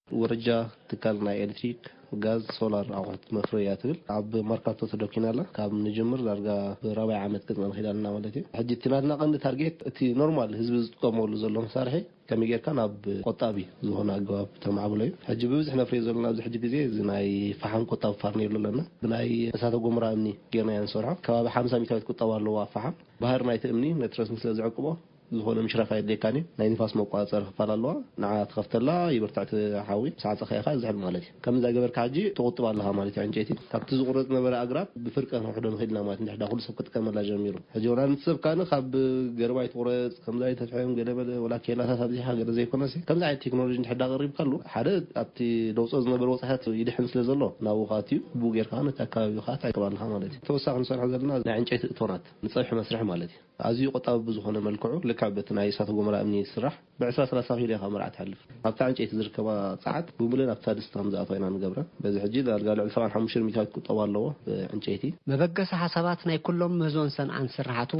ወረጃ ትካል ናይ ኤሌክትሪክ፣ ጋዝ፣ ሶላር ኣቑሑት መፍረያ ትብል ኣብ መርካቶ ተደኪና ኣላ። ካብ ንጅምር ዳርጋ ብራብዓይ ዓመት ገጽና ንኸይድ ኣለና ማለት እዩ። ሕጂ እቲ ናትና ቀንዲ ታርጌት እቲ ኖርማል ህዝቢ ዝጥቀመሉ ዘሎ መሳርሒ ከመይ ጌርካ ናብ ቆጣቢ ዝኾነ ኣገባብ ተማዕብሎ እዩ። ሕጂ ብብዝሒ ነፍርዮ ዘለና ኣብዚ ሕጂ ግዜ እዚ ናይ ፈሓም ቆጣቢ ፋርኔሎ ኣለና። ብናይ እሳተ ጎመራ እምኒ ጌርና ኢና ንሰርሖ። ከባቢ ሓምሳ ሚእታዊት ቁጠባ ኣለዎ ኣብ ፈሓም። ባህሪ ናይቲ እምኒ ነቲ ረስኒ ስለ ዝዕቅቦ ዝኾነ ምሽራፍ ኣየድልየካን እዩ። ናይ ንፋስ መቆጻጸሪ ክፋል ኣለዋ። ንዓ ትኸፍተላ፣ ይብርትዕ እቲ ሓዊ፣ ምስ ዓጸኻዮ ከኣ ዝሕል ማለት እዩ። ከምዚ እንዳገበርካ ሕጂ ትቑጥብ ኣለኻ ማለት እዩ። ዕንጨይቲ ካብቲ ዝቑረጽ ነበረ ኣግራብ ብፍርቂ ከነውሕዶ ንኽእል ኢና ማለት፣ እንድሕር ዳ ኩሉ ሰብ ክጥቀመላ ጀሚሩ። ሕጂ ወላ ነቲ ሰብ ካን ካብ ገረባ ይትቑረጽ፣ ከምዚ ኣይተፍሕም፣ ገለ በለ፣ ወላ ኬላታት ኣብዚሓ ገለ ዘይኮነሲ፣ ከምዚ ዓይነት ቴክኖሎጂ እንድሕር ዳ ቀሪብካሉ፣ ሓደ ኣብቲ ደውጾ ዝነበረ ወጻኢታት ይድሕን ስለ ዘሎ፣ ናብኡ ከኣ ኣትዩ፣ ብኡ ጌርካ ነቲ ኣከባቢ ከኣ ትዕቅብ ኣለኻ ማለት እዩ። ተወሳኺ ንሰርሖ ዘለና ናይ ዕንጨይቲ እቶናት፣ ንጸብሒ መስርሒ ማለት እዩ። ኣዝዩ ቆጣቢ ብዝኾነ መልክዑ፣ ልክዕ በቲ ናይ እሳተ ጎመራ እምኒ ዝስራሕ፣ ብዕስራ ሰላሳ ኪሎ ኢኻ መርዓ ትሓልፍ። ኣብታ ዕንጨይቲ ዝርከባ ጸዓት ብምሉእ ናብታ ድስቲ ከም ዝኣትዋ ኢና ንገብረን። በዚ ሕጂ ዳርጋ ልዕሊ ሰብዓን ሓሙሽተን ሚእታዊት ቁጠባ ኣለዎ ብዕንጨይቲ። መበገሲ ሓሳባት ናይ ኩሎም ምህዞን ሰንዓን ስራሓቱ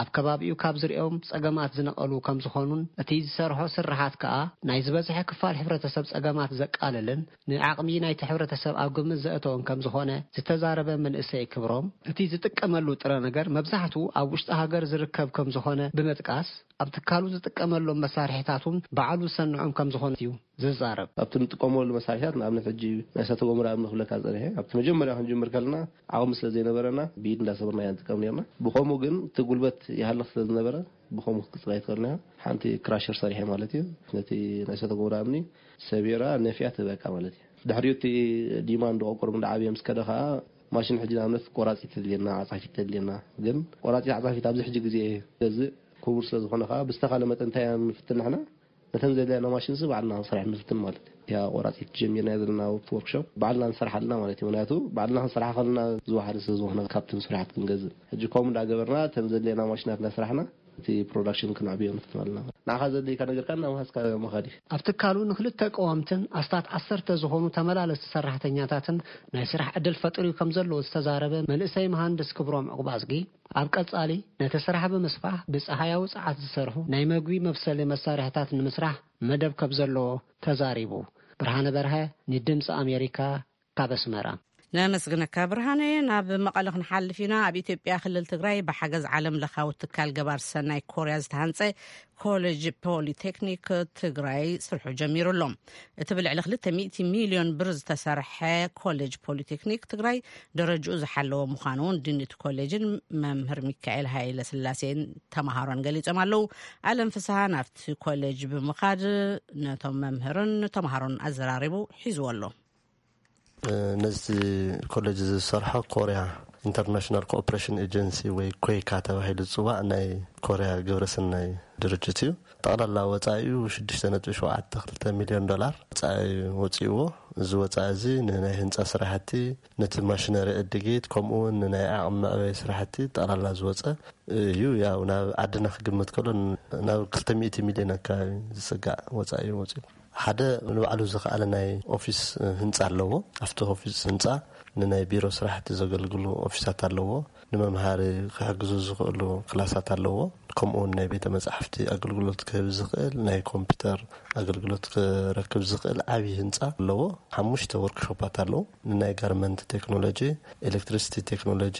ኣብ ከባቢኡ ካብ ዝርእዮም ጸገማት ዝነቐሉ ከም ዝኾኑን እቲ ዝሰርሖ ስራሓት ከኣ ናይ ዝበዝሐ ክፋል ሕብረተሰብ ጸገማት ዘቃልልን ንዓቕሚ ናይቲ ሕብረተሰብ ኣብ ግምት ዘእተወን ከም ዝኾነ ዝተዛረበ መንእሰይ ክብሮም፣ እቲ ዝጥቀመሉ ጥረ ነገር መብዛሕትኡ ኣብ ውሽጢ ሃገር ዝርከብ ከም ዝኾነ ብምጥቃስ፣ ኣብ ትካሉ ዝጥቀመሎም መሳርሒታት እውን ባዕሉ ዝሰንዖም ከም ዝኾነ እዩ ዝዛረብ። ኣብቲ ንጥቀመሉ መሳርሒታት፣ ንኣብነት ሕጂ ናይ እሳተ ጎመራ እምኒ ክብለካ ጸኒሐ፣ ኣብቲ መጀመርያ ክንጅምር ከለና ዓቕሚ ስለ ዘይነበረና ብኢድ እንዳሰበርና ኢና ንጥቀም ነርና። ብኸምኡ ግን እቲ ጉልበት ይሃልኽ ስለ ዝነበረ ብኸምኡ ክትቅጽል ኣይትኽእልን ኢኻ። ሓንቲ ክራሸር ሰሪሐ ማለት እዩ። ነቲ ናይ እሳተ ጎመራ እምኒ ሰቢራ ነፊያ ትህበካ ማለት እዩ። ድሕሪኡ እቲ ዲማንድ ቆቆር እንዳዓበየ ምስ ከደ ኸኣ ማሽን ሕጂ ንኣብነት ቆራጺት ተድልየና፣ ዓጻፊት ተድልየና። ግን ቆራጺት ዓጻፊት ኣብዚ ሕጂ ግዜ ገዝእ ክቡር ስለ ዝኾነ ኸኣ ብዝተኻለ መጠን እንታይ ኢና ንፍትን ንሕና? ነተን ዘድልያና ማሽንሲ ባዕልና ክንሰርሐን ንፍትን ማለት እዩ። እቲኣ ቆራጺት ጀሚርናያ ዘለና ኣብቲ ወርክሾፕ ባዕልና ንሰርሓ ኣለና ማለት እዩ። ምኽንያቱ ባዕልና ክንሰርሓ ከለና ዝወሓደ ስለ ዝኾነ ካብቲ ንስርሓት ክንገዝእ። ሕጂ ከምኡ እንዳገበርና እተን ዘድልያና ማሽናት እንዳሰራሕና እቲ ፕሮዳክሽን ክነዕብዮ ንፍትን ኣለና። ንዓኻ ዘድልየካ ነገር ከኣ እናወሃዝካ ምኻድ እዩ። ኣብ ትካሉ ንክልተ ቀወምትን ኣስታት ዓሰርተ ዝኾኑ ተመላለስቲ ሰራሕተኛታትን ናይ ስራሕ ዕድል ፈጢሩ ከም ዘለዎ ዝተዛረበ መንእሰይ መሃንድስ ክብሮም ዕቁባዝጊ፣ ኣብ ቀጻሊ ነቲ ስራሕ ብምስፋሕ ብጸሃያዊ ጸዓት ዝሰርሑ ናይ መግቢ መብሰሊ መሳርሕታት ንምስራሕ መደብ ከም ዘለዎ ተዛሪቡ። ብርሃነ በርሀ ንድምፂ ኣሜሪካ ካብ ኣስመራ። ነመስግነካ ብርሃነ። ናብ መቐለ ክንሓልፍ ኢና። ኣብ ኢትዮጵያ ክልል ትግራይ ብሓገዝ ዓለም ለኻዊ ትካል ገባር ሰናይ ኮርያ ዝተሃንፀ ኮሌጅ ፖሊቴክኒክ ትግራይ ስርሑ ጀሚሩ ኣሎ። እቲ ብልዕሊ ክልተ ሚእቲ ሚልዮን ብር ዝተሰርሐ ኮሌጅ ፖሊቴክኒክ ትግራይ ደረጃኡ ዝሓለወ ምዃኑ እውን ዲን እቲ ኮሌጅን መምህር ሚካኤል ሃይለ ስላሴን ተምሃሮን ገሊጾም ኣለዉ። ኣለም ፍስሃ ናብቲ ኮሌጅ ብምኻድ ነቶም መምህርን ተምሃሮን ኣዘራሪቡ ሒዝዎ ኣሎ። ነዚ ኮሌጅ ዝሰርሖ ኮርያ ኢንተርናሽናል ኮኦፕሬሽን ኤጀንሲ ወይ ኮይካ ተባሂሉ ዝፅዋዕ ናይ ኮርያ ግብረሰናይ ድርጅት እዩ። ጠቕላላ ወፃኢኡ ሽዱሽተ ነጥቢ ሸውዓተ ክልተ ሚልዮን ዶላር ወፃኢ ወፂእዎ። እዚ ወፃኢ እዚ ንናይ ህንፃ ስራሕቲ፣ ነቲ ማሽነሪ ዕድጊት፣ ከምኡ እውን ንናይ ዓቕሚ መዕበይ ስራሕቲ ጠቕላላ ዝወፀ እዩ። ያው ናብ ዓድና ክግምት ከሎ ናብ ክልተ ሚእቲ ሚልዮን ኣካባቢ ዝፅጋዕ ወፃኢ እዩ ወፂኡ። ሓደ ንባዕሉ ዝኸኣለ ናይ ኦፊስ ህንፃ ኣለዎ። ኣብቲ ኦፊስ ህንፃ ንናይ ቢሮ ስራሕቲ ዘገልግሉ ኦፊሳት ኣለዎ። ንመምሃሪ ክሕግዙ ዝኽእሉ ክላሳት ኣለዎ። ከምኡ እውን ናይ ቤተ መጻሕፍቲ ኣገልግሎት ክህብ ዝኽእል፣ ናይ ኮምፒውተር ኣገልግሎት ክረክብ ዝኽእል ዓብዪ ህንፃ ኣለዎ። ሓሙሽተ ወርክሾፓት ኣለዉ። ንናይ ጋርመንት ቴክኖሎጂ፣ ኤሌክትሪሲቲ ቴክኖሎጂ፣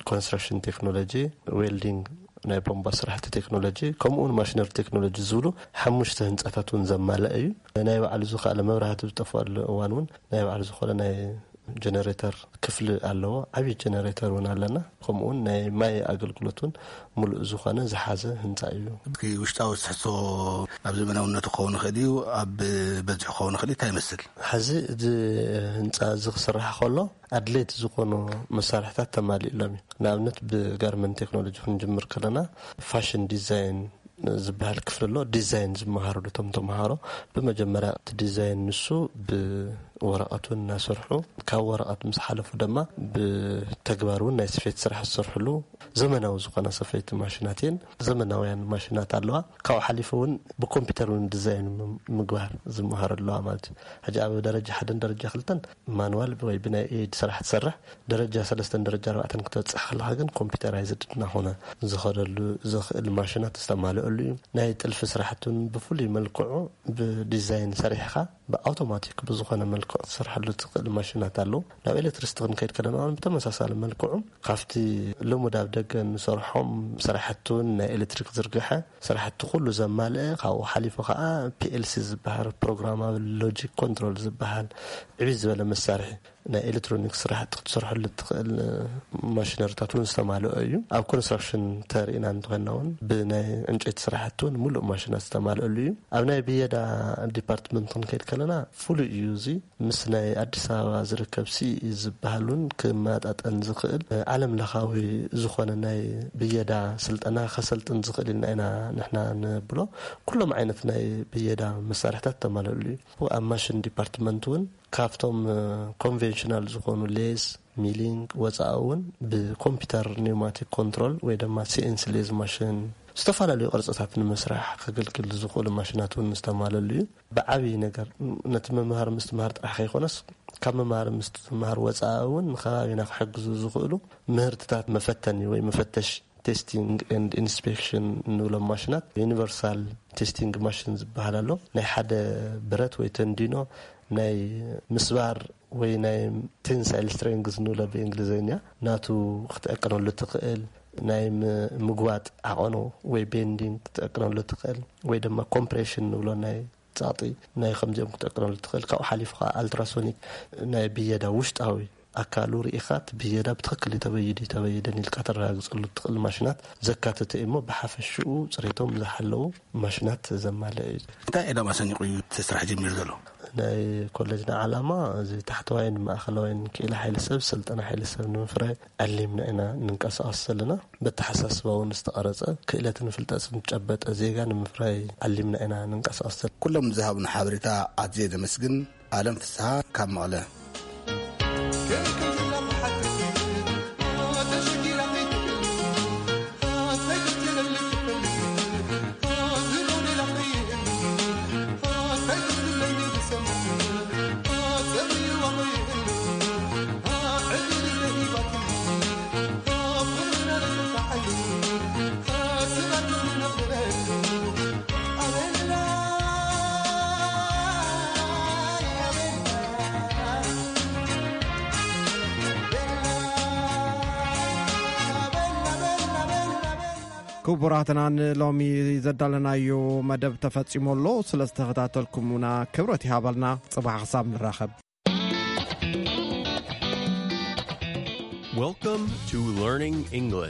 ኮንስትራክሽን ቴክኖሎጂ፣ ዌልዲንግ፣ ናይ ቦምባ ስራሕቲ ቴክኖሎጂ፣ ከምኡ እውን ማሽነሪ ቴክኖሎጂ ዝብሉ ሓሙሽተ ህንፃታት እውን ዘማልአ እዩ። ናይ ባዕሉ ዝኸኣለ፣ መብራህቲ ዝጠፍኣሉ እዋን እውን ናይ ባዕሉ ዝኾነ ናይ ጀነሬተር ክፍሊ ኣለዎ። ዓብዪ ጀነሬተር እውን ኣለና። ከምኡ እውን ናይ ማይ ኣገልግሎት እውን ሙሉእ ዝኾነ ዝሓዘ ህንፃ እዩ። እስኪ ውሽጣዊ ትሕዝቶ ኣብ ዘመናውነቱ ክኸውን ይኽእል እዩ፣ ኣብ በዝሑ ክኸውን ይኽእል እዩ፣ እንታይ ይመስል? ሕዚ እዚ ህንፃ እዚ ክስራሕ ከሎ ኣድለይቲ ዝኾኑ መሳርሕታት ተማሊእሎም እዩ። ንኣብነት ብጋርመንት ቴክኖሎጂ ክንጅምር ከለና ፋሽን ዲዛይን ዝበሃል ክፍሊ ኣሎ። ዲዛይን ዝመሃርሉ እቶም ተምሃሮ ብመጀመርያ እቲ ዲዛይን ንሱ ብወረቐት እውን እናሰርሑ፣ ካብ ወረቐት ምስ ሓለፉ ድማ ብተግባር እውን ናይ ስፌት ስራሕ ዝሰርሕሉ ዘመናዊ ዝኾና ሰፈይቲ ማሽናት እየን። ዘመናውያን ማሽናት ኣለዋ። ካብኡ ሓሊፉ እውን ብኮምፒውተር እውን ዲዛይን ም-፣ ምግባር ዝመሃሩ ኣለዋ ማለት እዩ። ሕጂ ኣብ ደረጃ ሓደን ደረጃ ክልተን ማንዋል ወይ ብናይ ኤድ ስራሕ ትሰርሕ፣ ደረጃ ሰለስተን ደረጃ ኣርባዕተን ክትበፅሕ ከለኻ ግን ኮምፒውተራይዝድ እናኾነ ዝኸደሉ ዝኽእል ማሽናት ዝተማልአሉ እዩ። ናይ ጥልፊ ስራሕቲ እውን ብፍሉይ መልክዑ ብዲዛይን ሰሪሕኻ ብኣውቶማቲክ ብዝኾነ መልክዑ ትሰርሐሉ ትኽእል ማሽናት ኣለዉ። ናብ ኤሌክትሪሲቲ ክንከይድ ከለና እውን ብተመሳሳሊ መልክዑ ካብቲ ልሙድ ኣብ ደገ እንሰርሖም ስራሕቲ እውን ናይ ኤሌክትሪክ ዝርግሐ ስራሕቲ ኩሉ ዘማልአ፣ ካብኡ ሓሊፉ ከዓ ፒኤልሲ ዝበሃል ፕሮግራማብል ሎጂክ ኮንትሮል ዝበሃል ዕብይ ዝበለ መሳርሒ ናይ ኤሌክትሮኒክስ ስራሕቲ ክትሰርሐሉ እትኽእል ማሽነሪታት እውን ዝተማልኦ እዩ። ኣብ ኮንስትራክሽን ተሪእና እንተኾይንና እውን ብናይ ዕንጨይቲ ስራሕቲ እውን ሙሉእ ማሽናት ዝተማልአሉ እዩ። ኣብ ናይ ብየዳ ዲፓርትመንት ክንከይድ ከለና ፍሉይ እዩ። እዚ ምስ ናይ ኣዲስ ኣበባ ዝርከብ ሲኢ ዝበሃል እውን ክመጣጠን ዝኽእል ዓለም ለኻዊ ዝኾነ ናይ ብየዳ ስልጠና ከሰልጥን ዝኽእል ኢልና ኢና ንሕና ንብሎ። ኩሎም ዓይነት ናይ ብየዳ መሳርሕታት ተማልአሉ እዩ። ኣብ ማሽን ዲፓርትመንት እውን ካብቶም ኮንቬንሽናል ዝኾኑ ሌዝ፣ ሚሊንግ ወፃኢ እውን ብኮምፒውተር ኒውማቲክ ኮንትሮል ወይ ድማ ሲኤንሲ ሌዝ ማሽን ዝተፈላለዩ ቅርፅታት ንምስራሕ ከገልግል ዝኽእሉ ማሽናት እውን ዝተማለሉ እዩ። ብዓብዪ ነገር ነቲ ምምሃር ምስትምሃር ጥራሕ ከይኮነስ ካብ ምምሃር ምስትምሃር ወፃኢ እውን ንከባቢና ክሕግዙ ዝኽእሉ ምህርትታት መፈተኒ ወይ መፈተሽ ቴስቲንግ ኤንድ ኢንስፔክሽን እንብሎም ማሽናት ዩኒቨርሳል ቴስቲንግ ማሽን ዝበሃል ኣሎ። ናይ ሓደ ብረት ወይ ተንዲኖ ናይ ምስባር ወይ ናይ ቴንሳይል ስትሬንግዝ ንብሎ ብእንግሊዝኛ ናቱ ክትዕቅነሉ ትኽእል ናይ ም-፣ ምግዋጥ ዓቐኑ ወይ ቤንዲንግ ክትዕቅነሉ ትኽእል ወይ ድማ ኮምፕሬሽን ንብሎ ናይ ጻጢ ናይ ከምዚኦም ክትዕቅነሉ ትኽእል። ካብኡ ሓሊፉ ከዓ ኣልትራሶኒክ ናይ ብየዳ ውሽጣዊ ኣካሉ ርኢኻ እቲ ብየዳ ብትኽክል እዩ ተበይዱ እዩ ተበይደን ኢልካ ተረጋግፀሉ ትኽእል ማሽናት ዘካተተ እዩ እሞ ብሓፈሽኡ ፅሬቶም ዝሓለዉ ማሽናት ዘማልአ እዩ። እንታይ ዕላማ ሰኒቑ እዩ እቲ ስራሕ ጀሚሩ ዘሎ? ናይ ኮሌጅና ዓላማ እዚ ታሕተዋይን ማእኸላዋይን ክኢላ ሓይሊ ሰብ ስልጠና ሓይሊ ሰብ ንምፍራይ ዓሊምና ኢና ንንቀሳቐስ ዘለና። በተሓሳስባ እውን ዝተቐረፀ ክእለትን ፍልጠትን ዝጨበጠ ዜጋ ንምፍራይ ዓሊምና ኢና ንንቀሳቐስ ዘለና። ኩሎም ዝሃቡና ሓበሬታ ኣዝየ ዘመስግን። ኣለም ፍስሃ ካብ መቐለ። ክቡራትና ንሎሚ ዘዳለናዮ መደብ ተፈጺሙ ኣሎ። ስለ ዝተኸታተልኩምና ክብረት ይሃበልና። ጽባሕ ክሳብ ንራኸብ። Welcome to Learning English.